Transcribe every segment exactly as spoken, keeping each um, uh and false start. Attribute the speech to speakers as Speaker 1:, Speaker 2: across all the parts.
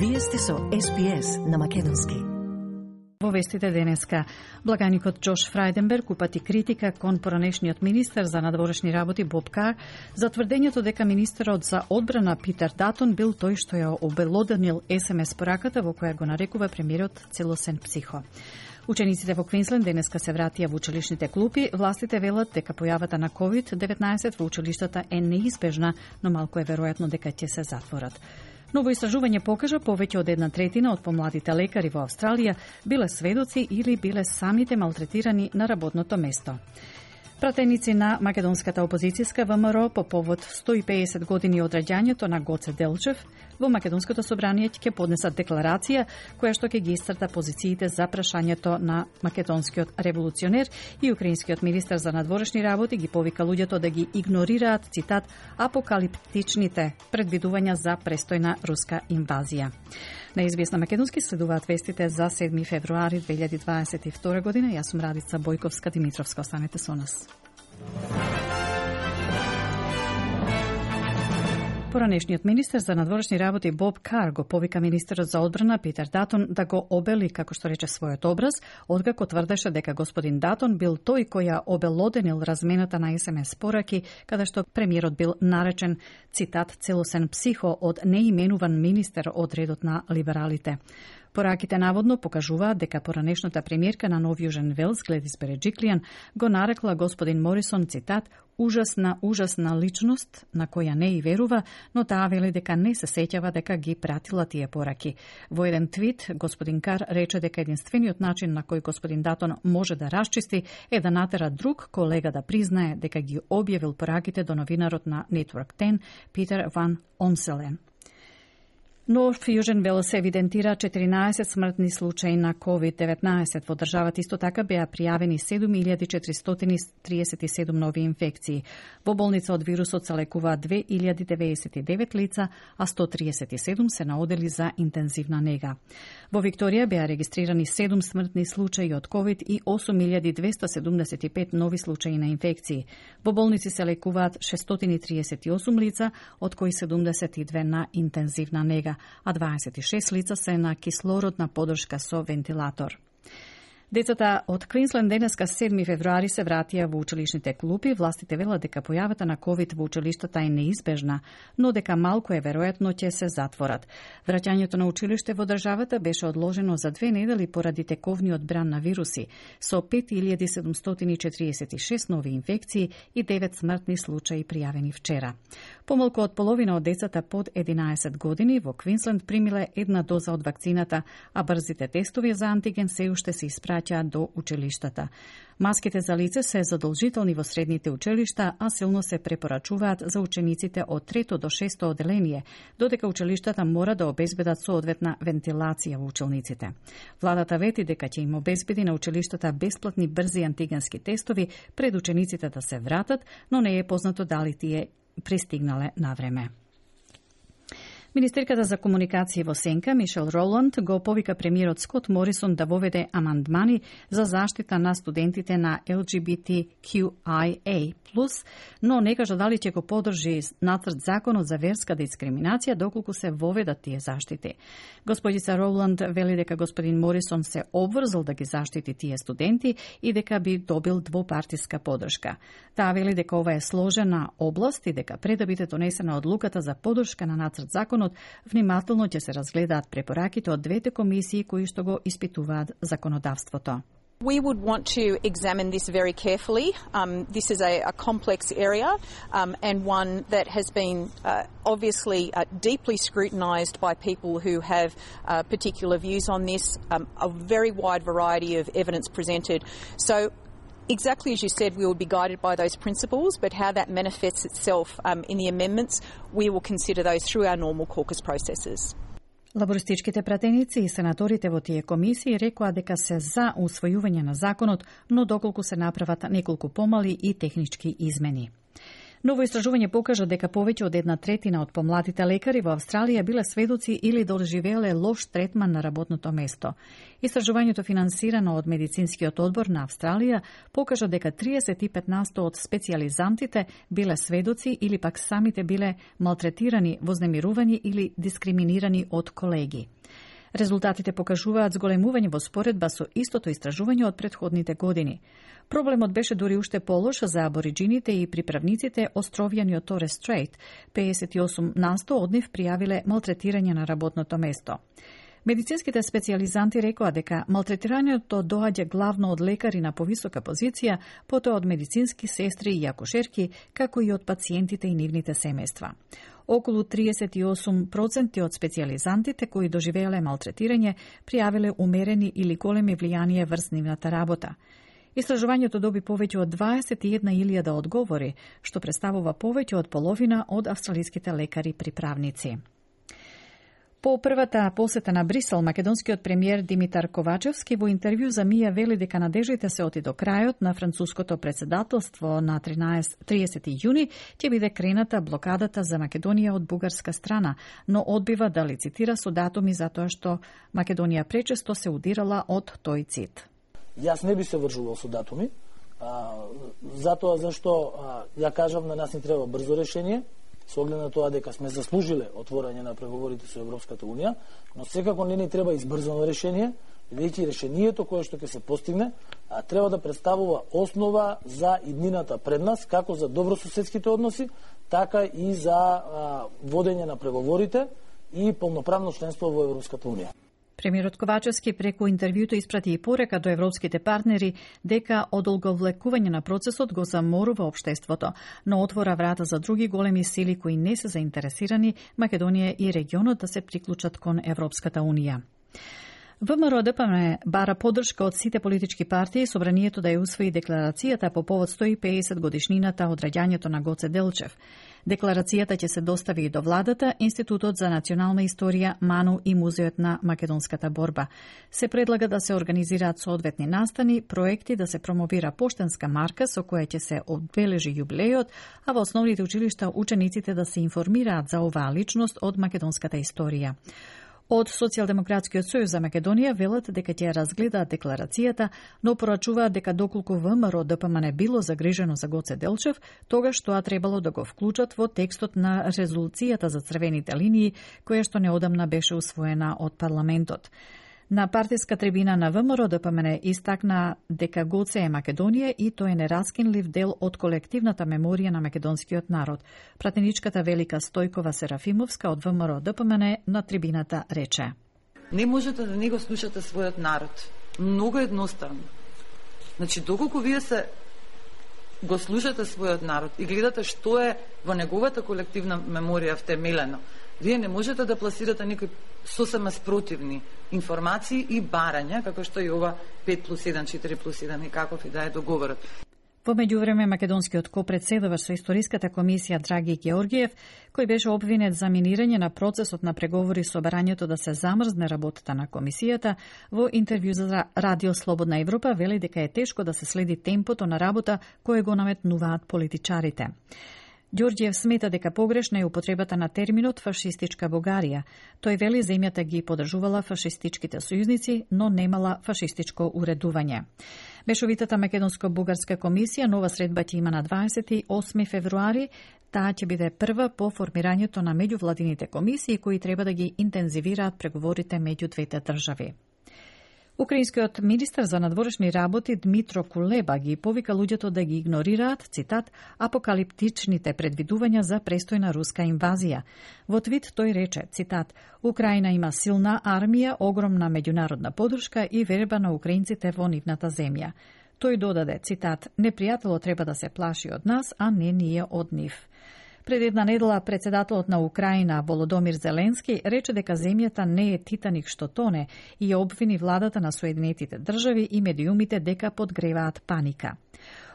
Speaker 1: Вие сте со Ес Би Ес на македонски.
Speaker 2: Во вестите денеска, благаникот Џош Фрајденберг упати критика кон поранешниот министер за надворешни работи Боб Кар за тврдењето дека министерот за одбрана Питер Датон бил тој што ја обелоденил Ес Ем Ес пораката во која го нарекува премиерот целосен психо. Учениците во Квинсленд денеска се вратија во училишните клупи. Властите велат дека појавата на ковид деветнаесет во училиштата е неизбежна, но малку е веројатно дека ќе се затворат. Ново истражување покажа повеќе од една третина од помладите лекари во Австралија биле сведоци или биле самите малтретирани на работното место. Пратеници на македонската опозицијска Вэ Ем Ро по повод сто и педесет години од раѓањето на Гоце Делчев во Македонското собрание ќе поднесат декларација која што ќе ги истрта позициите за прашањето на македонскиот револуционер и украинскиот министер за надворешни работи ги повика луѓето да ги игнорираат, цитат, апокалиптичните предвидувања за престојна руска инвазија. На Известна македонски следуваат вестите за седми февруари две илјади дваесет и втора година. Јас сум Радица Бојковска-Димитровска. Останете со нас. Поранешниот министер за надворешни работи Боб Кар го повика министерот за одбрана Питер Датон да го обели, како што рече, својот образ, откако тврдеше дека господин Датон бил тој кој ја обелоденил размената на Ес Ем Ес пораки, каде што премиерот бил наречен, цитат, целосен психо од неименуван министер од редот на либералите. Пораките наводно покажуваат дека поранешната премиерка на Нов Јужен Велс, Гледис Береџиклијан, го нарекла господин Морисон, цитат, ужасна, ужасна личност на која не и верува, но таа вели дека не се сеќава дека ги пратила тие пораки. Во еден твит, господин Кар рече дека единствениот начин на кој господин Датон може да расчисти е да натера друг колега да признае дека ги објавил пораките до новинарот на Network десет, Питер Ван Онселен. Нов Јужен Велс евидентира четиринаесет смртни случаи на ковид деветнаесет. Во државата исто така беа пријавени седум илјади четиристотини триесет и седум нови инфекции. Во болница од вирусот се лекуваат две илјади деветдесет и девет лица, а сто триесет и седум се наодели за интензивна нега. Во Викторија беа регистрирани седум смртни случаи од ковид и осум илјади двесте седумдесет и пет нови случаи на инфекции. Во болници се лекуваат шестстотини триесет и осум лица, од кои седумдесет и две на интензивна нега, а дваесет и шест лица се на кислородна подршка со вентилатор. Децата од Квинсленд денеска седми февруари се вратија во училишните клупи. Властите велат дека појавата на ковид во училиштата е неизбежна, но дека малку е веројатно ќе се затворат. Враќањето на училиште во државата беше одложено за две недели поради тековниот бран на вируси, со пет илјади седумстотини четириесет и шест нови инфекции и девет смртни случаи пријавени вчера. Помалку од половина од децата под единаесет години во Квинсленд примиле една доза од вакцината, а брзите тестови за антиген се уште се испраќаат до училиштата. Маските за лице се задолжителни во средните училишта, а силно се препорачуваат за учениците од трето до шесто оделение, додека училиштата мора да обезбедат соодветна вентилација во училниците. Владата вети дека ќе им обезбеди на училиштата бесплатни брзи антигенски тестови пред учениците да се вратат, но не е познато дали тие пристигнале на време. Министерката за комуникација во Сенка, Мишел Роланд, го повика премиерот Скот Морисон да воведе амандмани за заштита на студентите на Ел Џи Би Ти Кју Ај Ей плюс, но не кажа дали ќе го подржи нацрт законот за верска дискриминација доколку се воведат тие заштити. Господица Роланд вели дека господин Морисон се обврзал да ги заштити тие студенти и дека би добил двопартиска подршка. Таа вели дека ова е сложена област и дека пред да биде донесена одлуката за подршка на нацрт законот, внимателно ќе се разгледаат препораките од двете комисии кои што го испитуваат законодавството.
Speaker 3: We would want to examine this very carefully. Um, this is a, a complex area um, and one that has been uh, obviously uh, deeply scrutinised by people who have uh, particular views on this, um, a very wide variety of evidence presented. So exactly as you said, we will be guided by those principles, but how that manifests itself um, in the amendments, we will consider those through our normal caucus processes.
Speaker 2: Лабористичките пратеници и сенаторите во тие комисии рекоа дека се за усвојување на законот, но доколку се направат неколку помали и технички измени. Ново истражување покажа дека повеќе од една третина од помладите лекари во Австралија биле сведоци или доживеале лош третман на работното место. Истражувањето финансирано од Медицинскиот одбор на Австралија покажа дека триесет и пет насто од специјализантите биле сведоци или пак самите биле малтретирани, вознемирувани или дискриминирани од колеги. Резултатите покажуваат зголемување во споредба со истото истражување од претходните години. Проблемот беше дури уште полош за абориджините и приправниците островјани од Торес Стрейт. пеесет и осум насто од нив пријавиле малтретирање на работното место. Медицинските специјализанти рекоа дека малтретирањето доаѓа главно од лекари на повисока позиција, потоа од медицински сестри и акушерки, како и од пациентите и нивните семејства. Околу триесет и осум проценти од специјализантите кои доживеале малтретирање пријавиле умерени или големи влијанија врз нивната работа. Истражувањето доби повеќе од дваесет и една илјада одговори, што представува повеќе од половина од австралиските лекари приправници. По првата посета на Брисел, македонскиот премиер Димитар Ковачевски во интервју за Мија вели дека надеждите се оти до крајот на француското председателство на триесети јуни ќе биде крената блокадата за Македонија од бугарска страна, но одбива да лицитира со датуми затоа што Македонија пречесто се удирала од тој цит.
Speaker 4: Јас не би се вржувал со датуми, а, затоа зашто а, ја кажав на нас ни треба брзо решение, со оглед на тоа дека сме заслужиле отворање на преговорите со Европската Унија, но секако не ни треба избрзано решение, бидејќи решението кое што ќе се постигне а, треба да представува основа за иднината пред нас, како за добрососедските односи, така и за а, водење на преговорите и полноправно членство во Европската Унија.
Speaker 2: Премиерот Ковачевски преку интервјуто испрати и порека до европските партнери дека одолговлекување на процесот го заморува општеството, но отвора врата за други големи сили кои не се заинтересирани Македонија и регионот да се приклучат кон Европската Унија. ВМРО Д П М бара поддршка од сите политички партии собранието да ја усвои декларацијата по повод сто и педесет годишнината од раѓањето на Гоце Делчев. Декларацијата ќе се достави и до владата, Институтот за национална историја, МАНУ и Музеот на македонската борба. Се предлага да се организираат соодветни настани, проекти да се промовира поштенска марка со која ќе се одбележи јубилејот, а во основните училишта учениците да се информираат за оваа личност од македонската историја. Од Социјалдемократскиот сојуз за Македонија велат дека ќе разгледаат декларацијата, но порачуваат дека доколку ВМРО Д П М не било загрижено за Гоце Делчев, тогаш тоа требало да го вклучат во текстот на резолуцијата за црвените линии, која што неодамна беше усвоена од парламентот. На партиска трибина на ВМРО Д П М истакна дека Гоце е Македонија и тој е нераскинлив дел од колективната меморија на македонскиот народ. Пратеничката Велика Стојкова Серафимовска од ВМРО Д П М на трибината рече:
Speaker 5: Не можете да не го слушате својот народ. Многу едноставно. Значи, доколку вие се го слушате својот народ и гледате што е во неговата колективна меморија втемелено, вие не можете да пласирате некои сосема спротивни информации и барања, како што и ова пет плюс еден, четири плюс еден и каков и да е договорот.
Speaker 2: Во меѓувреме, македонскиот копредседавач со историската комисија Драги Георгиев, кој беше обвинет за минирање на процесот на преговори со барањето да се замрзне работата на комисијата, во интервју за Радио Слободна Европа вели дека е тешко да се следи темпото на работа кое го наметнуваат политичарите. Ѓорѓиев смета дека погрешна е употребата на терминот фашистичка Бугарија. Тој вели земјата ги подржувала фашистичките сојузници, но немала фашистичко уредување. Мешовитата македонско-бугарска комисија нова средба ќе има на дваесет и осми февруари. Таа ќе биде прва по формирањето на меѓувладините комисии кои треба да ги интензивираат преговорите меѓу двете држави. Украинскиот министар за надворешни работи Дмитро Кулеба ги повика луѓето да ги игнорираат, цитат, апокалиптичните предвидувања за престојна руска инвазија. Во твит тој рече, цитат, Украина има силна армија, огромна меѓународна поддршка и верба на украинците во нивната земја. Тој додаде, цитат, непријателот треба да се плаши од нас, а не ние од нив. Пред една недела председателот на Украина Володомир Зеленски рече дека земјата не е Титаник што тоне и ја обвини владата на Соединетите држави и медиумите дека подгреваат паника.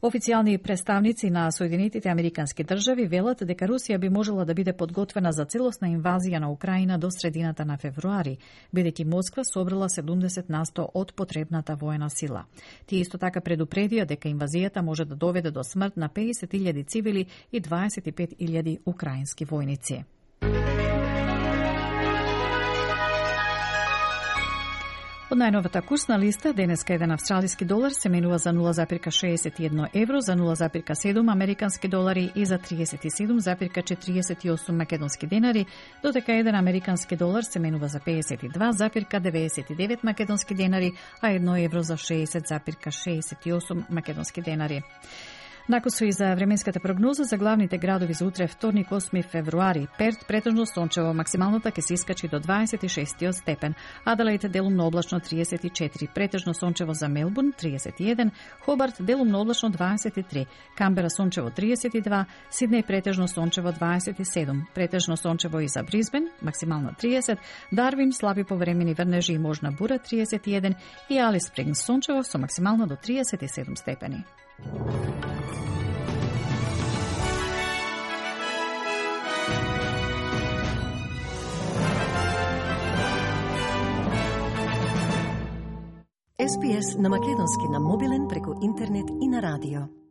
Speaker 2: Официјални представници на Соединетите Американски држави велат дека Русија би можела да биде подготвена за целосна инвазија на Украина до средината на февруари, бидејќи Москва собрала седумдесет на сто од потребната воена сила. Тие исто така предупредија дека инвазијата може да доведе до смрт на педесет илјади цивили и дваесет и пет илјади украински војници. Од најновата курсна листа, денеска еден австралиски долар се менува за нула зарез шеесет и едно евро, за нула зарез седум американски долари и за триесет и седум зарез четириесет и осум македонски денари, додека еден американски долар се менува за педесет и два зарез деветдесет и девет македонски денари, а едно евро за шеесет зарез шеесет и осум македонски денари. Накусо и за временската прогноза за главните градови за утре вторник осми февруари. Перт претежно сончево, максималната ќе се искачи до дваесет и шести степен. Аделаид делумно облачно триесет и четири, претежно сончево за Мелбурн триесет и еден, Хобарт делумно облачно дваесет и три, Камбера сончево триесет и два, Сиднеј претежно сончево дваесет и седум, претежно сончево и за Бризбен, максимална триесет, Дарвин слаби повремени врнежи и можна бура триесет и еден и Алис Спрингс сончево со максимално до триесет и седум степени.
Speaker 1: Ес Би Ес на македонски на мобилен преку интернет и на радио.